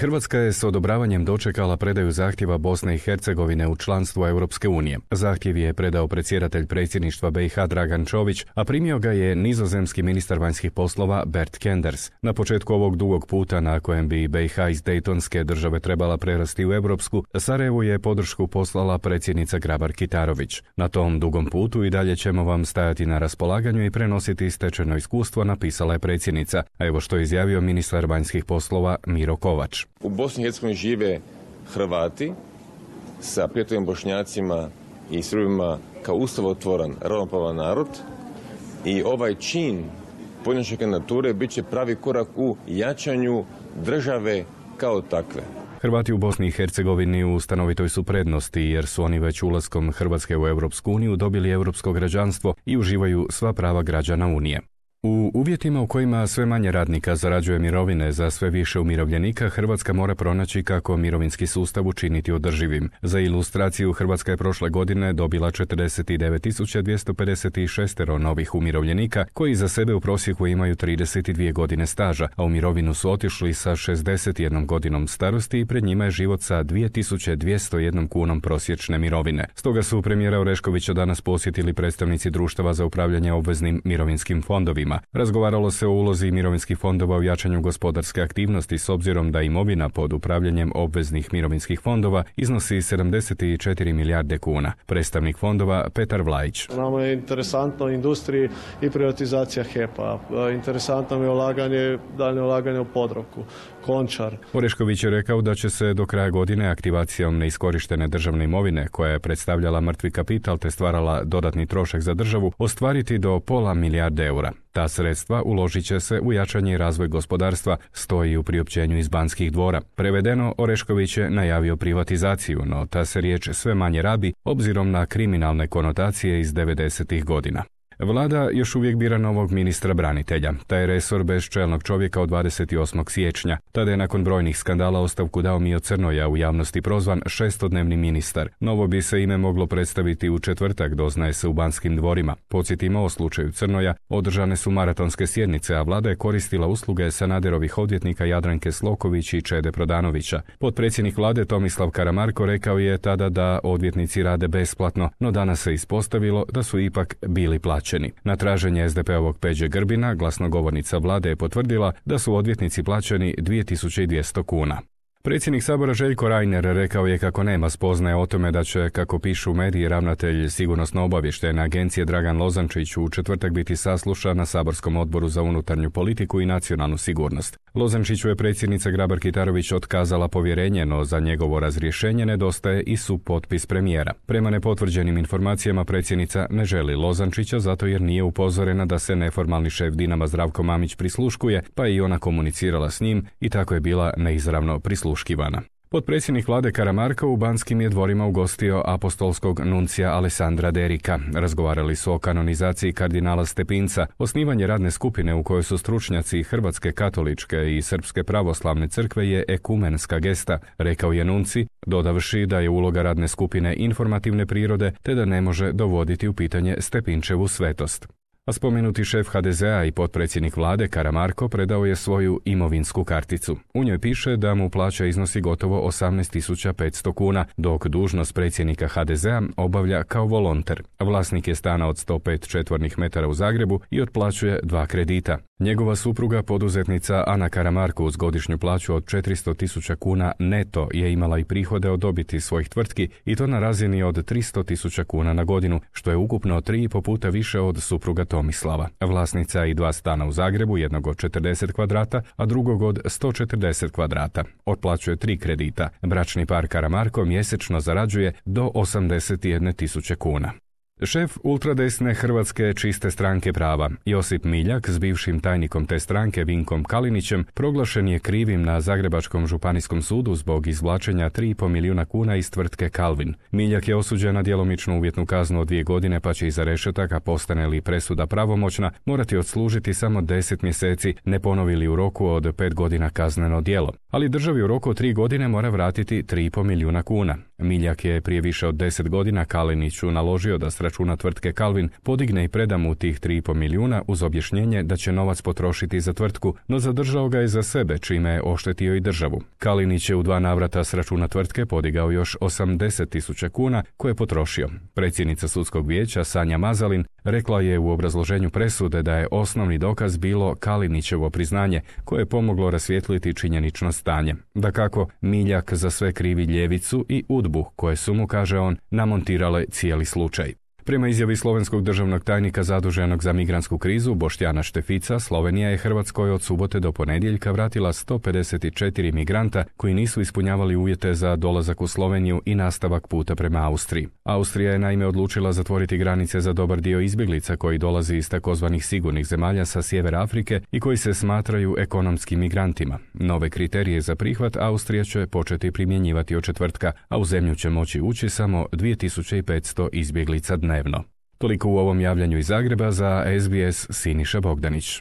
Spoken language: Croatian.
Hrvatska je s odobravanjem dočekala predaju zahtjeva Bosne i Hercegovine u članstvo Europske unije. Zahtjev je predao predsjedatelj predsjedništva BiH Dragan Čović, a primio ga je nizozemski ministar vanjskih poslova Bert Kenders. Na početku ovog dugog puta na kojem bi BiH iz Dejtonske države trebala prerasti u europsku, Sarajevu je podršku poslala predsjednica Grabar-Kitarović. Na tom dugom putu i dalje ćemo vam stajati na raspolaganju i prenositi stečeno iskustvo, napisala je predsjednica, a evo što je izjavio ministar vanjskih poslova Miro Kovač. U Bosni i Hercegovini žive Hrvati sa prijateljima Bošnjacima i Srbima kao ustavotvoran, ravnopravan narod i ovaj čin podnošenja kandidature bit će pravi korak u jačanju države kao takve. Hrvati u Bosni i Hercegovini u stanovitoj su prednosti jer su oni već ulaskom Hrvatske u Europsku uniju dobili europsko građanstvo i uživaju sva prava građana Unije. U uvjetima u kojima sve manje radnika zarađuje mirovine za sve više umirovljenika, Hrvatska mora pronaći kako mirovinski sustav učiniti održivim. Za ilustraciju, Hrvatska je prošle godine dobila 49.256 novih umirovljenika koji za sebe u prosjeku imaju 32 godine staža, a u mirovinu su otišli sa 61 godinom starosti i pred njima je život sa 2201 kunom prosječne mirovine. Stoga su premijera Oreškovića danas posjetili predstavnici društava za upravljanje obveznim mirovinskim fondovima. Razgovaralo se o ulozi mirovinskih fondova u jačanju gospodarske aktivnosti s obzirom da imovina pod upravljanjem obveznih mirovinskih fondova iznosi 74 milijarde kuna. Predstavnik fondova Petar Vlajić. Nama je interesantno industriji i privatizacija HEP-a. Interesantno je daljnje ulaganje u Podravku, Končar. Orešković je rekao da će se do kraja godine aktivacijom neiskorištene državne imovine, koja je predstavljala mrtvi kapital te stvarala dodatni trošak za državu, ostvariti do pola milijarde eura. Ta sredstva uložit će se u jačanje i razvoj gospodarstva, stoji u priopćenju iz Banskih dvora. Prevedeno, Orešković je najavio privatizaciju, no ta se riječ sve manje rabi obzirom na kriminalne konotacije iz 90-ih godina. Vlada još uvijek bira novog ministra branitelja. Taj resor bez čelnog čovjeka od 28. siječnja. Tada je nakon brojnih skandala ostavku dao Mio Crnoja, u javnosti prozvan šestodnevni ministar. Novo bi se ime moglo predstaviti u četvrtak, doznaje se u Banskim dvorima. Podsjetimo, o slučaju Crnoja održane su maratonske sjednice, a vlada je koristila usluge Sanaderovih odvjetnika Jadranke Sloković i Čede Prodanovića. Potpredsjednik vlade Tomislav Karamarko rekao je tada da odvjetnici rade besplatno, no danas se ispostavilo da su ipak bili plaćeni. Na traženje SDP-ovog Peđe Grbina, glasnogovornica vlade je potvrdila da su odvjetnici plaćeni 2200 kuna. Predsjednik Sabora Željko Reiner rekao je kako nema spoznaje o tome da će, kako pišu mediji, ravnatelj Sigurnosno-obavještajne agencije Dragan Lozančić u četvrtak biti saslušan na saborskom odboru za unutarnju politiku i nacionalnu sigurnost. Lozančiću je predsjednica Grabar-Kitarović otkazala povjerenje, no za njegovo razrješenje nedostaje i supotpis premijera. Prema nepotvrđenim informacijama predsjednica ne želi Lozančića zato jer nije upozorena da se neformalni šef Dinama Zdravko Mamić prisluškuje, pa je i ona komunicirala s njim i tako je bila neizravno prisluškivana. Potpredsjednik vlade Karamarko u Banskim je dvorima ugostio apostolskog nuncija Alessandra Derika. Razgovarali su o kanonizaciji kardinala Stepinca, osnivanje radne skupine u kojoj su stručnjaci Hrvatske katoličke i Srpske pravoslavne crkve je ekumenska gesta, rekao je nunci, dodavši da je uloga radne skupine informativne prirode te da ne može dovoditi u pitanje Stepinčevu svetost. A spomenuti šef HDZ-a i potpredsjednik vlade Karamarko predao je svoju imovinsku karticu. U njoj piše da mu plaća iznosi gotovo 18.500 kuna, dok dužnost predsjednika HDZ-a obavlja kao volonter. Vlasnik je stana od 105 četvornih metara u Zagrebu i otplaćuje 2 kredita. Njegova supruga, poduzetnica Ana Karamarko, uz godišnju plaću od 400.000 kuna neto je imala i prihode od dobiti svojih tvrtki i to na razini od 300.000 kuna na godinu, što je ukupno 3,5 puta više od supruga Tomislava. Vlasnica i 2 stana u Zagrebu, jednog od 40 kvadrata, a drugog od 140 kvadrata. Otplaćuje 3 kredita. Bračni par Karamarko mjesečno zarađuje do 81.000 kuna. Šef ultradesne Hrvatske čiste stranke prava, Josip Miljak, s bivšim tajnikom te stranke Vinkom Kalinićem, proglašen je krivim na Zagrebačkom županijskom sudu zbog izvlačenja 3,5 milijuna kuna iz tvrtke Kalvin. Miljak je osuđen na djelomičnu uvjetnu kaznu od 2 godine, pa će iza rešetaka, postane li presuda pravomoćna, morati odslužiti samo 10 mjeseci, ne ponovi li u roku od 5 godina kazneno djelo. Ali državi u roku od 3 godine mora vratiti 3,5 milijuna kuna. Miljak je prije više od 10 godina Kaliniću naložio da računa tvrtke Calvin podigne i preda mu tih 3,5 milijuna uz objašnjenje da će novac potrošiti za tvrtku, no zadržao ga je za sebe, čime je oštetio i državu. Kalinić je u 2 navrata s računa tvrtke podigao još 80.000 kuna koje je potrošio. Predsjednica sudskog vijeća Sanja Mazalin rekla je u obrazloženju presude da je osnovni dokaz bilo Kalinićevo priznanje koje je pomoglo rasvijetliti činjenično stanje. Dakako, Miljak za sve krivi ljevicu i UDBU koje su mu, kaže on, namontirale cijeli slučaj. Prema izjavi slovenskog državnog tajnika zaduženog za migrantsku krizu Boštjana Štefica, Slovenija je Hrvatskoj od subote do ponedjeljka vratila 154 migranta koji nisu ispunjavali uvjete za dolazak u Sloveniju i nastavak puta prema Austriji. Austrija je naime odlučila zatvoriti granice za dobar dio izbjeglica koji dolazi iz takozvanih sigurnih zemalja sa sjevera Afrike i koji se smatraju ekonomskim migrantima. Nove kriterije za prihvat Austrija će početi primjenjivati od četvrtka, a u zemlju će moći ući samo 2500 izbjeglica dnevno. Toliko u ovom javljanju iz Zagreba. Za SBS Siniša Bogdanić.